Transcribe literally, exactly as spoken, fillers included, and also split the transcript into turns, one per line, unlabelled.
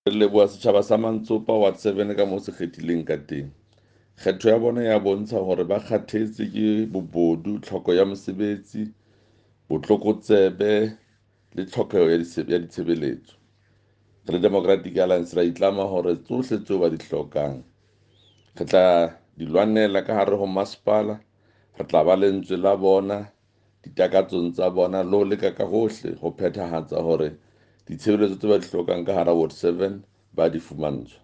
Re leboha setjhaba sa Mantsopa Ward seven ka moo se kgethileng ka teng. Kgetho ya bona ya bontsha hore ba kgathetse ke bobodu, tlhoko ya mosebetsi, botlokotsebe le tlhokeho ya ditshebeletso. Re le Democratic Alliance ra itlama hore tsohle tseo ba di hlokang re tla di lwanela ka hare ho masepala, re tla ba lentswe la bona ditakatsong tsa bona le ho leka ka hohle ho phethahatsa hore ditshebeletso tse ba di hlokang ka hara Ward seven ba di fumantshwa.